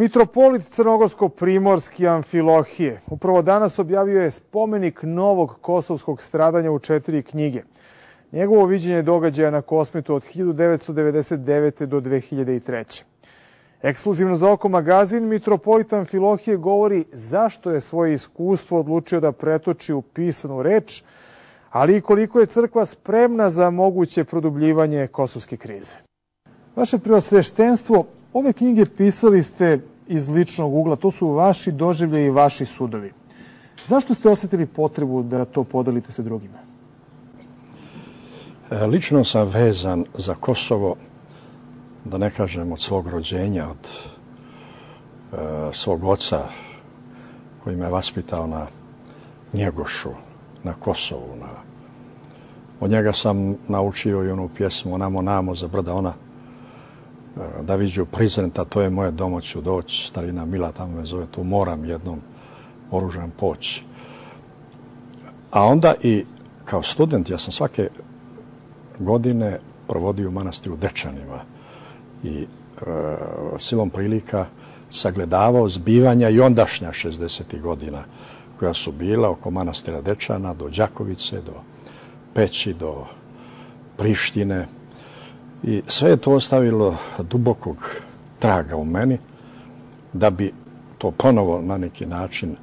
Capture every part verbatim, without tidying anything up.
Mitropolit crnogorsko-primorski Amfilohije upravo danas objavio je spomenik novog kosovskog stradanja u četiri knjige. Njegovo viđenje događaja na Kosmetu od hiljadu devetsto devedeset devete. do dve hiljade treće. Ekskluzivno za Oko magazin, mitropolit Amfilohije govori zašto je svoje iskustvo odlučio da pretoči u pisanu reč, ali i koliko je crkva spremna za moguće produbljivanje kosovske krize. Vaše preosveštenstvo, ove knjige pisali ste iz ličnog ugla, to su vaši doživljaji i vaši sudovi. Zašto ste osjetili potrebu da to podelite sa drugima? Lično sam vezan za Kosovo, da ne kažem od svog rođenja, od e, svog oca koji me vaspitao na Njegošu, na Kosovu. Na... Od njega sam naučio i onu pjesmu Namo, namo za brda ona, e, da viđu prizrenta, to je moje domo ću doći, starina mila tamo me zove, tu moram jednom oružan poći. A onda i kao student, ja sam svake godine provodio u manastiru Dečanima i e, silom prilika sagledavao zbivanja i ondašnja šezdesetih godina koja su bila oko manastira Dečana do Đakovice, do Peći, do Prištine i sve je to ostavilo dubokog traga u meni da bi to ponovo na neki način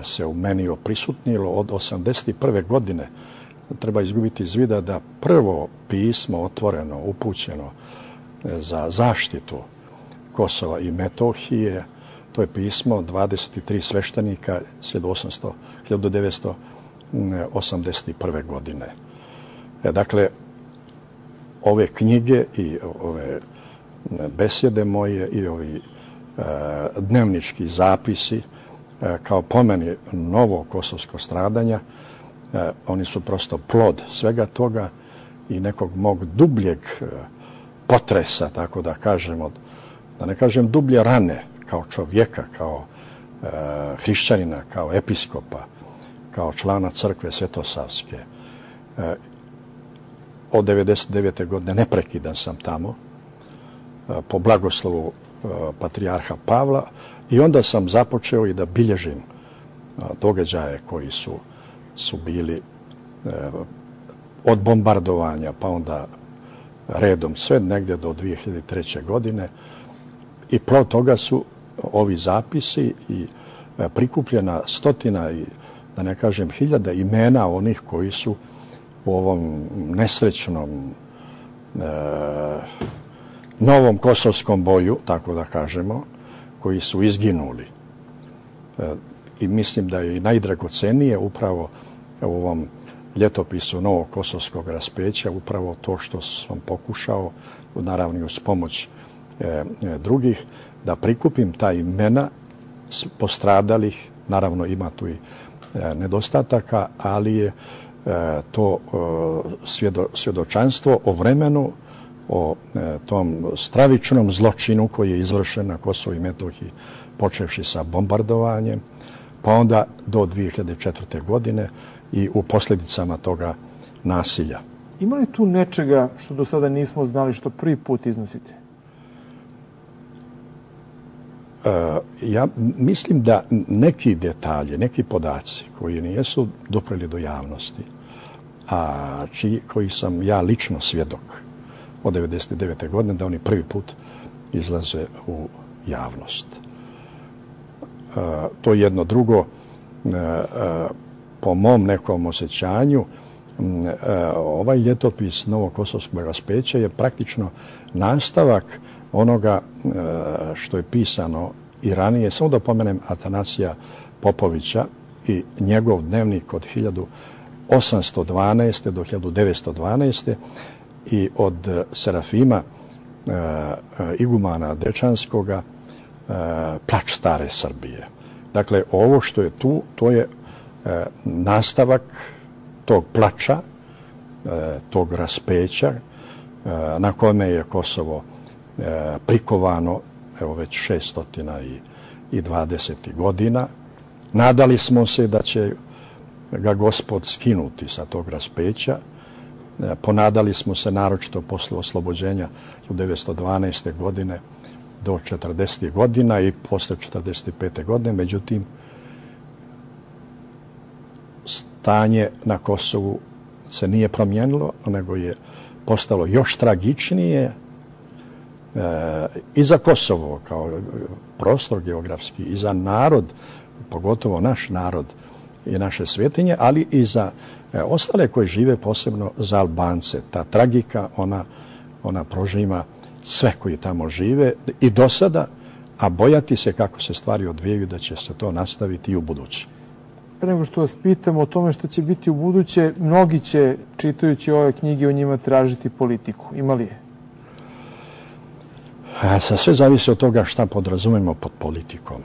se u meni oprisutnilo. Od osamdeset prve. godine treba izgubiti iz vida da prvo pismo otvoreno, upućeno za zaštitu Kosova i Metohije, to je pismo dvadeset tri sveštenika hiljadu devetsto osamdeset prve. godine. E, dakle, ove knjige i ove besjede moje i ovi e, dnevnički zapisi e, kao po meni novo kosovsko stradanja, e, oni su prosto plod svega toga i nekog mog dubljeg e, potresa, tako da kažem, od, da ne kažem dublje rane, kao čovjeka, kao e, hrišćanina, kao episkopa, kao člana crkve Svetosavske. E, od devedeset devete. godine neprekidan sam tamo, e, po blagoslovu e, patrijarha Pavla, i onda sam započeo i da bilježim e, događaje koji su, su bili e, od bombardovanja, pa onda redom sve negdje do dve hiljade treće. godine. I plod toga su ovi zapisi i prikupljena stotina i, da ne kažem, hiljada imena onih koji su u ovom nesrećnom e, novom kosovskom boju, tako da kažemo, koji su izginuli. E, I mislim da je i najdragocenije upravo u ovom ljetopisu novog kosovskog raspeća upravo to što sam pokušao, naravno uz pomoć e, drugih, da prikupim ta imena postradalih. Naravno ima tu i e, nedostataka, ali je e, to e, svjedo, svjedočanstvo o vremenu, o e, tom stravičnom zločinu koji je izvršen na Kosovu i Metohiji, počevši sa bombardovanjem, pa onda do dve hiljade četvrte. godine i u posljedicama toga nasilja. Ima li tu nečega što do sada nismo znali, što prvi put iznosite? E, ja mislim da neki detalji, neki podaci koji nijesu dopreli do javnosti, a čiji, koji sam ja lično svjedok od devedeset devete. godine, da oni prvi put izlaze u javnost. E, to je jedno. Drugo, e, e, po mom nekom osjećanju, ovaj ljetopis novog kosovskog raspeća je praktično nastavak onoga što je pisano i ranije. Samo da pomenem Atanasija Popovića i njegov dnevnik od hiljadu osamsto dvanaeste. do hiljadu devetsto dvanaeste. i od Serafima igumana Dečanskoga Plač stare Srbije. Dakle, ovo što je tu, to je nastavak tog plača, tog raspeća na kome je Kosovo prikovano evo već šesto dvadeset godina. Nadali smo se da će ga Gospod skinuti sa tog raspeća. Ponadali smo se naročito posle oslobođenja hiljadu devetsto dvanaeste. godine do četrdesetih godina i posle četrdeset pete godine. Međutim, stanje na Kosovu se nije promijenilo, nego je postalo još tragičnije e, i za Kosovo kao prostor geografski, i za narod, pogotovo naš narod i naše svetinje, ali i za e, ostale koji žive, posebno za Albance. Ta tragika, ona, ona prožima sve koji tamo žive i do sada, a bojati se kako se stvari odvijaju da će se to nastaviti i u buduće. Pre nego što vas pitam o tome što će biti u buduće, mnogi će, čitajući ove knjige, o njima tražiti politiku. Ima li je? A, sve zavisi od toga šta podrazumemo pod politikom.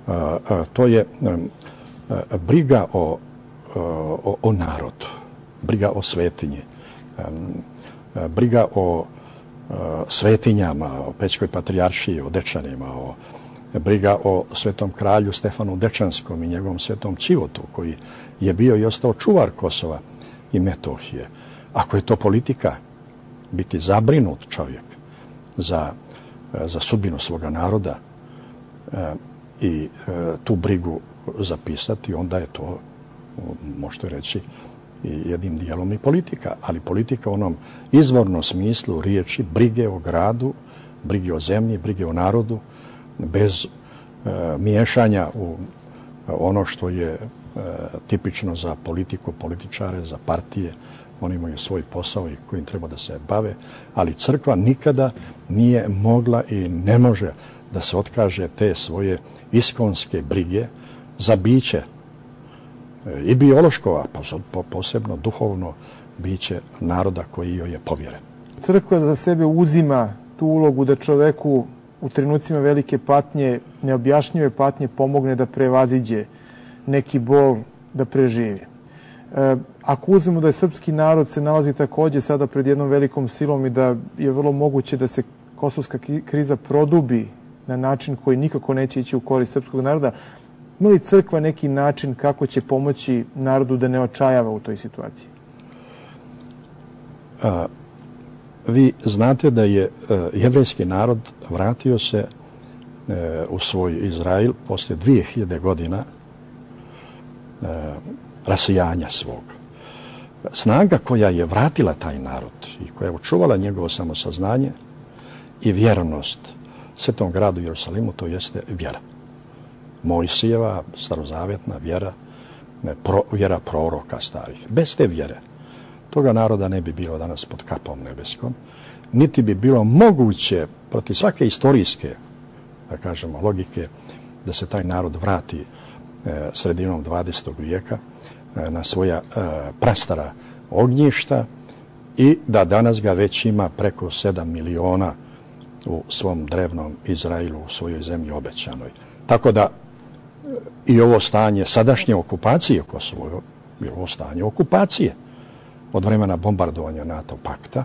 A, a, to je a, a, briga o, o, o narodu, briga o svetinji, a, a, briga o a, svetinjama, o Pećkoj patrijaršiji, o Dečanima, o briga o svetom kralju Stefanu Dečanskom i njegovom svetom Čivotu, koji je bio i ostao čuvar Kosova i Metohije. Ako je to politika, biti zabrinut čovjek za, za sudbinu svoga naroda e, i e, tu brigu zapisati, onda je to, možete reći, i jednim dijelom i politika. Ali politika u onom izvornom smislu riječi brige o gradu, brige o zemlji, brige o narodu, bez e, miješanja u ono što je e, tipično za politiku, političare, za partije. Oni imaju svoj posao i kojim treba da se bave, ali crkva nikada nije mogla i ne može da se otkaže te svoje iskonske brige za biće e, i biološko, a posebno duhovno biće naroda koji joj je povjeren. Crkva za sebe uzima tu ulogu da čoveku u trenucima velike patnje, neobjašnjive patnje, pomogne da prevaziđe neki bol, da preživi. E, ako uzmemo da je srpski narod se nalazi takođe sada pred jednom velikom silom i da je vrlo moguće da se kosovska kriza produbi na način koji nikako neće ići u korist srpskog naroda, ima li crkva neki način kako će pomoći narodu da ne očajava u toj situaciji? A... Vi znate da je e, jevrejski narod vratio se e, u svoj Izrael posle dvije hiljade godina e, rasijanja svog. Snaga koja je vratila taj narod i koja je očuvala njegovo samosaznanje i vjernost svetom gradu Jerusalimu, to jeste vjera. Mojsijeva, starozavjetna vjera, ne, pro, vjera proroka starih. Bez te vjere toga naroda ne bi bilo danas pod kapom nebeskom, niti bi bilo moguće protiv svake istorijske, da kažemo, logike, da se taj narod vrati e, sredinom dvadesetog vijeka e, na svoja e, prastara ognjišta i da danas ga već ima preko sedam miliona u svom drevnom Izraelu, u svojoj zemlji obećanoj. Tako da i ovo stanje sadašnje okupacije Kosovo je ovo stanje okupacije od vremena bombardovanja NATO pakta.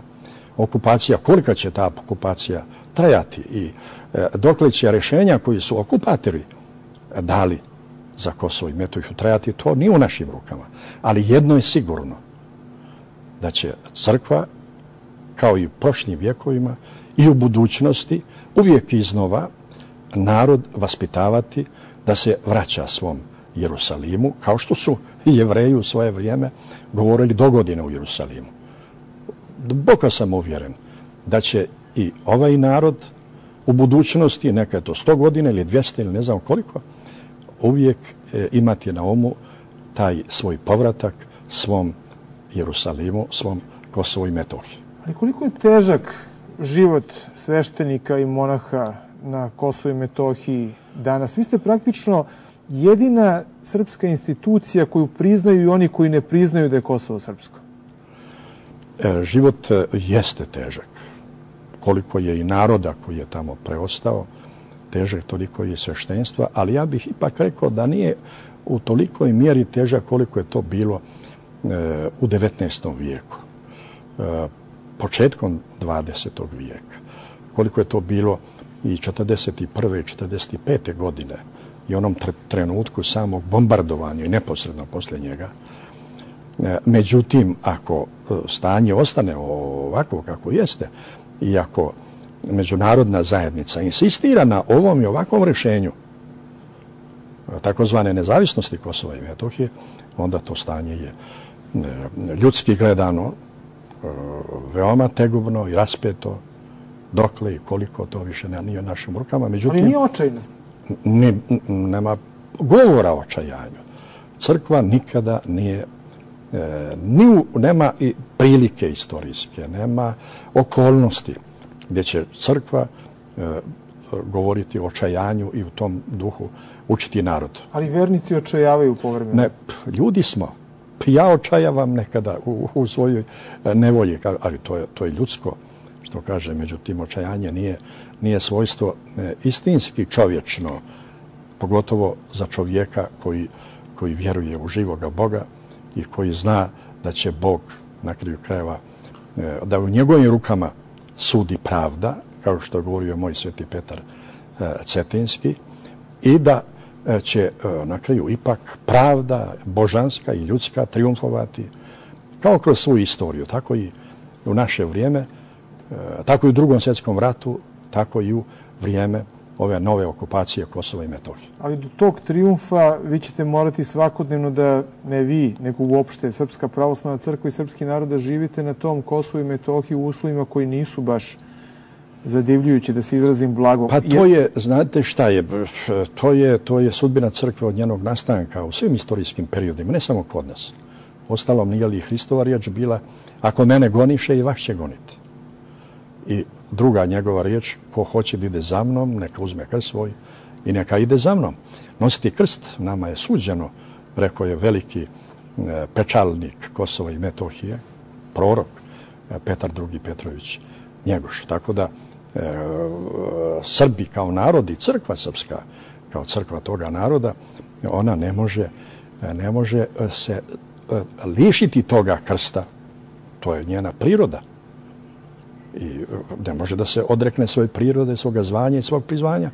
Okupacija, kolika će ta okupacija trajati i e, dokle će rješenja koji su okupatori dali za Kosovo i Metohiju trajati, to nije u našim rukama. Ali jedno je sigurno, da će crkva, kao i u prošlim vjekovima i u budućnosti, uvijek iznova narod vaspitavati da se vraća svom Jerusalimu, kao što su i Jevreji u svoje vrijeme govorili do godine u Jerusalimu. Duboko sam uvjeren da će i ovaj narod u budućnosti, neka je to sto godina ili dvjesto ili ne znam koliko, uvijek e, imati na umu taj svoj povratak svom Jerusalimu, svom Kosovu i Metohiji. Ali koliko je težak život sveštenika i monaha na Kosovu i Metohiji danas? Vi ste praktično jedina srpska institucija koju priznaju i oni koji ne priznaju da je Kosovo srpsko. E, život jeste težak. Koliko je i naroda koji je tamo preostao, težak toliko je i sveštenstva, ali ja bih ipak rekao da nije u tolikoj mjeri težak koliko je to bilo e, u devetnaestom vijeku, e, početkom dvadesetog vijeka, koliko je to bilo i četrdeset prve i četrdeset pete godine i onom trenutku samog bombardovanja i neposredno poslije njega. E, međutim, ako stanje ostane ovako kako jeste i ako međunarodna zajednica insistira na ovom i ovakvom rješenju takozvane nezavisnosti Kosova i Metohije, onda to stanje je ljudski gledano veoma tegubno i raspeto, dokle i koliko to više nije u našim rukama. Međutim, ali nije očajno. Ne, nema govora o očajanju. Crkva nikada nije, e, ni, nema i prilike istorijske, nema okolnosti gdje će crkva e, govoriti o očajanju i u tom duhu učiti narod. Ali vernici očajavaju povremeno. Ne, ljudi smo. Ja očajavam nekada u, u svojoj nevolji, ali to je, to je ljudsko, što kaže, međutim, očajanje nije, nije svojstvo e, istinski čovječno, pogotovo za čovjeka koji, koji vjeruje u živoga Boga i koji zna da će Bog na kraju krajeva, e, da u njegovim rukama sudi pravda, kao što je govorio moj sveti Petar e, Cetinski, i da e, će e, na kraju ipak pravda božanska i ljudska triumfovati, kao kroz svoju istoriju, tako i u naše vrijeme, tako i u Drugom svjetskom ratu, tako i u vrijeme ove nove okupacije Kosova i Metohije. Ali do tog trijumfa vi ćete morati svakodnevno da, ne vi, nego uopšte Srpska pravoslavna crkva i srpski narod, da živite na tom Kosovu i Metohiji u uslovima koji nisu baš zadivljujući, da se izrazim blago. Pa to je, znate šta je, to je, to je sudbina crkve od njenog nastanka u svim istorijskim periodima, ne samo kod nas. Ostalom, nije li Hristova riječ bila, ako mene goniše i vas će goniti. I druga njegova riječ, ko hoće da ide za mnom, neka uzme krst svoj i neka ide za mnom. Nositi krst nama je suđeno, rekao je veliki e, pečalnik Kosova i Metohije, prorok e, Petar drugi Petrović Njegoš. Tako da e, Srbi kao narod i crkva srpska kao crkva toga naroda, ona ne može, ne može se e, lišiti toga krsta. To je njena priroda. I ne može da se odrekne svoje prirode, svoga zvanja i svog prizvanja.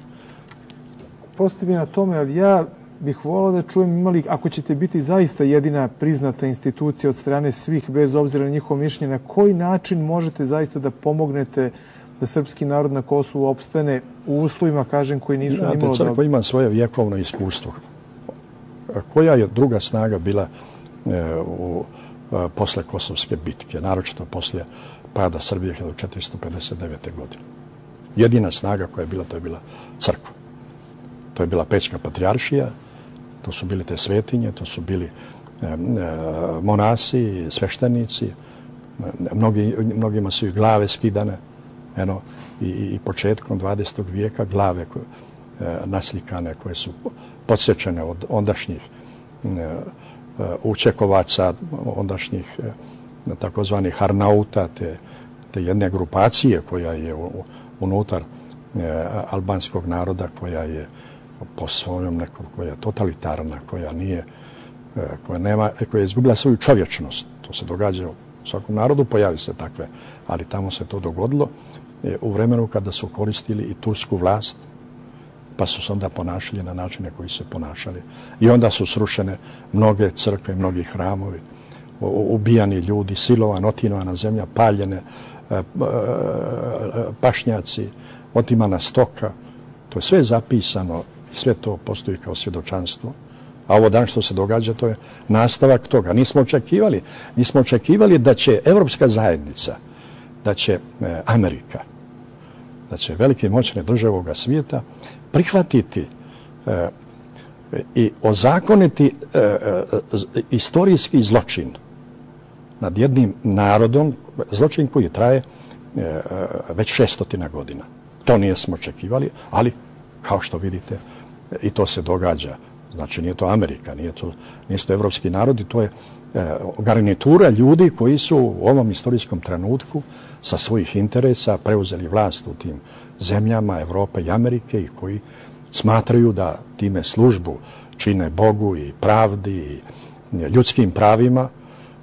Postoji mi na tome, ali ja bih volao da čujem, imali, ako ćete biti zaista jedina priznata institucija od strane svih, bez obzira na njihovo mišljenje, na koji način možete zaista da pomognete da srpski narod na Kosovu opstane u uslovima, kažem, koji nisu nimalo dobro? Crkva ima svoje vjekovno iskustvo. Koja je druga snaga bila e, u, a, posle Kosovske bitke, naročito posle pada Srbije hiljadu četiristo pedeset devete. godine. Jedina snaga koja je bila, to je bila crkva. To je bila Pećka patrijaršija, to su bili te svetinje, to su bili e, e, monasi, sveštenici, mnogi, mnogima su i glave skidane, eno, i, i početkom dvadesetog vijeka glave koje, e, naslikane koje su podsječene od ondašnjih e, učekovaca, ondašnjih e, takozvanih Harnauta, te, te jedne grupacije koja je u, unutar e, albanskog naroda, koja je po svojom nekom, koja je totalitarna, koja nije, e, koja nema, koja je izgubila svoju čovječnost. To se događa u svakom narodu, pojavi se takve, ali tamo se to dogodilo e, u vremenu kada su koristili i tursku vlast, pa su se onda ponašali na načine koji se ponašali. I onda su srušene mnoge crkve, mnogi hramovi, ubijani ljudi, silovan, otinovana zemlja, paljene, pašnjaci, otimana stoka. To je sve zapisano i sve to postoji kao svjedočanstvo. A ovo dan što se događa, to je nastavak toga. Nismo očekivali, nismo očekivali da će Evropska zajednica, da će Amerika, da će velike moćne države ovoga svijeta prihvatiti e, i ozakoniti e, e, istorijski zločin nad jednim narodom, zločin koji traje e, već šestotina godina. To nismo očekivali, ali kao što vidite i to se događa. Znači nije to Amerika, nije to, nije to evropski narodi, to je e, garnitura ljudi koji su u ovom istorijskom trenutku sa svojih interesa preuzeli vlast u tim zemljama Evrope i Amerike i koji smatraju da time službu čine Bogu i pravdi i ljudskim pravima,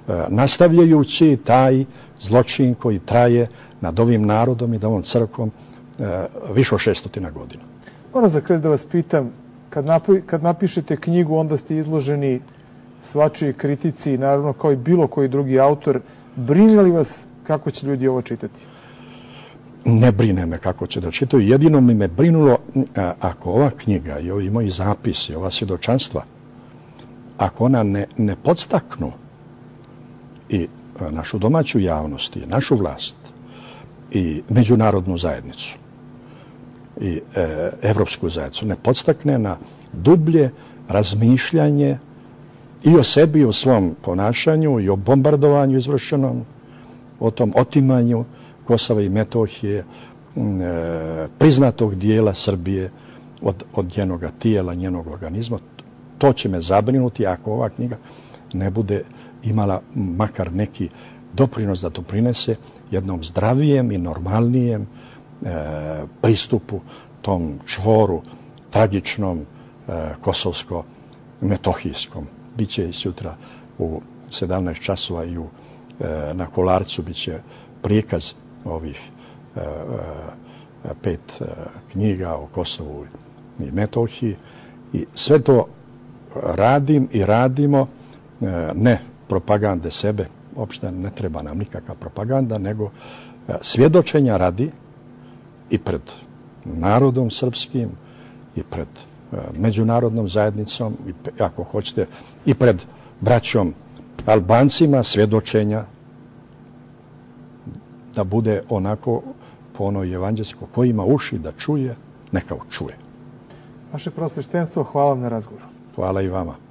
e, nastavljajući taj zločin koji traje nad ovim narodom i nad ovom crkvom e, više od šestotina godina. Moram za kraj da vas pitam, kad, napi, kad napišete knjigu, onda ste izloženi svačiji kritici, naravno kao i bilo koji drugi autor. Brine li vas kako će ljudi ovo čitati? ne brine me kako će da čitaju. Jedino mi me brinulo a, ako ova knjiga i ovi moji zapisi, ova svjedočanstva, ako ona ne, ne podstaknu i a, našu domaću javnost, i našu vlast, i međunarodnu zajednicu, i e, evropsku zajednicu, ne podstakne na dublje razmišljanje i o sebi, i o svom ponašanju, i o bombardovanju izvršenom, o tom otimanju Kosova i Metohije, e, priznatog dijela Srbije od, od njenoga tijela, njenog organizma. To će me zabrinuti ako ova knjiga ne bude imala makar neki doprinos da doprinese jednom zdravijem i normalnijem e, pristupu tom čvoru tragičnom e, kosovsko-metohijskom. Biće i sutra u sedamnaest časova i u, e, na Kolarcu biće prikaz ovih e, e, pet e, knjiga o Kosovu i Metohiji. I sve to radim i radimo, e, ne propagande sebe, uopšte ne treba nam nikakva propaganda, nego e, svjedočenja radi i pred narodom srpskim, i pred e, međunarodnom zajednicom, i, ako hoćete, i pred braćom Albancima, svjedočenja da bude onako po onoj evanđelskoj, ko ima uši da čuje, neka čuje. Vaše prosveštenstvo, hvala vam na razgovoru. Hvala i vama.